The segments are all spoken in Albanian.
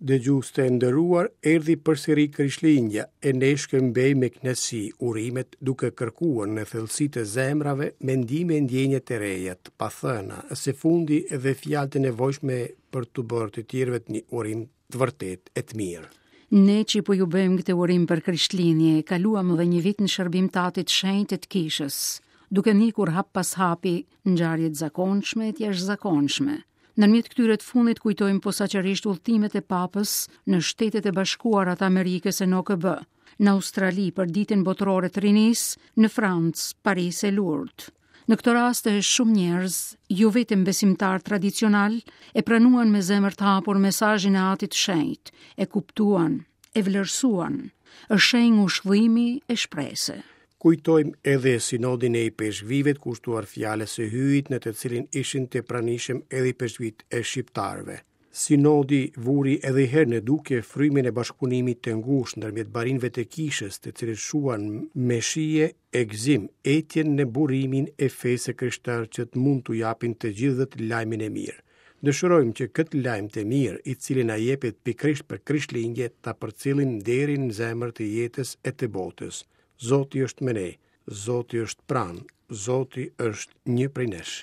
Dëgjues të nderuar, erdhi përsëri Krishtlindja e ne shkëmbejmë me kënaqësi urimet duke kërkuar në thellësi të zemrave mendime e ndjenja të reja, të pathëna, e së fundi edhe fjalë të nevojshme për t'u bërë të tjerëve një urim të vërtetë e të mirë. Ne që po ju bëjmë këtë urim për Krishtlindje, kaluam edhe një vit në shërbim të Atit të Shenjtë e të Kishës, duke ndjekur hap pas hapi ngjarje të zakonshme e të jashtëzakonshme. Ndërmjet këtyre të fundit kujtojmë posaçërisht udhëtimet e Papës në Shtetet e Bashkuara të Amerikës e në OKB, në Australi për Ditën Botërore të Rinisë, në Francë, Paris e Lourdes. Në këto raste shumë njerëz, jo vetëm besimtarë tradicionalë, e pranuan me zemër të hapur mesazhin e Atit të Shenjtë, e kuptuan, e vlerësuan. Është shenjë ngushëllimi e shprese. Kujtojmë edhe sinodin e ipeshkvijve kushtuar fjalës së Hyjit në të cilin ishin të pranishëm edhe ipeshkvijtë e shqiptarëve. Sinodi vuri edhe një herë në dukje frymën e bashkëpunimit të ngushtë ndërmjet barinjve të kishës, të cilët shuan me shije e gëzim etjen në burimin e fesë së krishterë që të mund t'u japin të gjithëve lajmin e mirë. Dëshirojmë që këtë lajm të mirë, i cili na jepet pikërisht për Krishtlindje, ta përcjellim deri në zemër të jetës e të botës. Zoti është me ne, Zoti është pranë, Zoti është një prej nesh.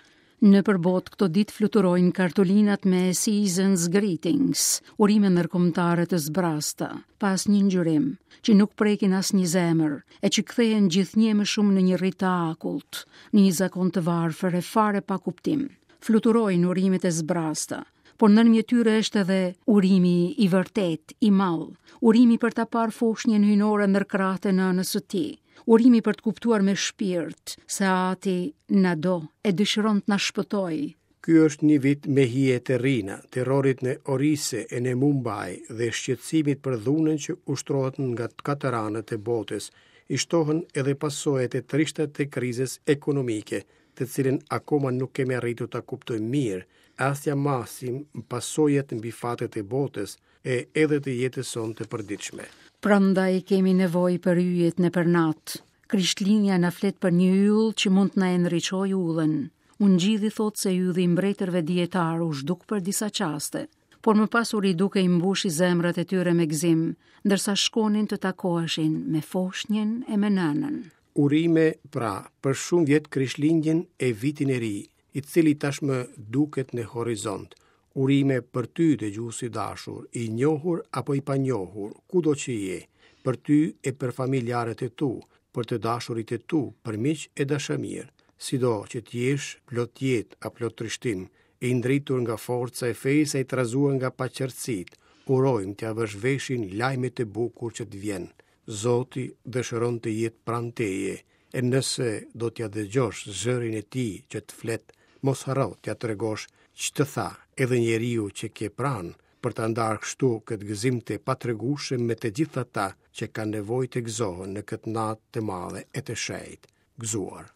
Nëpër botë këto ditë fluturojnë kartolinat me Season's Greetings, urime ndërkombëtare të zbrazëta, pa asnjë ngjyrim, që nuk prekin asnjë zemër, e që kthehen gjithnjë e më shumë në një rit të akullt, në një zakon të varfër e fare pa kuptim. Fluturojnë urimet e zbrazëta, por ndërmjet tyre është edhe urimi i vërtetë, i madh, urimi për ta parë foshnjën hyjnore ndër krahët e nënës së tij, urimi për të kuptuar me shpirt se Ati na do e dëshiron të na shpëtojë. Ky është një vit me hije e terrina, terrorit në Orise e në Mumbai dhe shqetësimit për dhunën që ushtrohet nga të katër anët e botës, i shtohen edhe pasojat e trishta të krizës ekonomike, të cilën akoma nuk kemi arritur ta kuptojmë mirë, as t'ia masim pasojat mbi fatet e botës e edhe të jetës sonë të përditshme. Prandaj kemi nevojë për yjet nëpër natë. Krishtlindja na flet për një yll që mund të na e ndriçojë udhën. Ungjilli thotë se ylli i mbretërve dijetarë u zhduk për disa çaste, por më pas u riduk e i mbushi zemrat e tyre me gëzim, ndërsa shkonin të takoheshin me foshnjën e me nënën. Urime, pra, për shumë vjet Krishtlindjen e Vitin e Ri, i cili tashmë duket në horizont. Urime për ty, dëgjues i dashur, i njohur apo i panjohur, kudo që je, për ty e për familjarët e tu, për të dashurit e tu, për miq e dashamirë. Sido që të jesh, plot jetë a plot trishtim, i ndritur nga forca e fesë a i trazuar nga paqartësitë, urojmë t'ia vësh veshin lajmit të bukur që të vjen. Zoti dëshiron të jetë pranë teje, e nëse do t'ia dëgjosh zërin e tij që të flet, mos harro t'ia tregosh ç'të tha edhe njeriu që ke pranë, për ta ndarë kështu këtë gëzim të patregueshëm me të gjithë ata që kanë nevojë të gëzohen në këtë natë të madhe e të shenjtë. Gëzuar!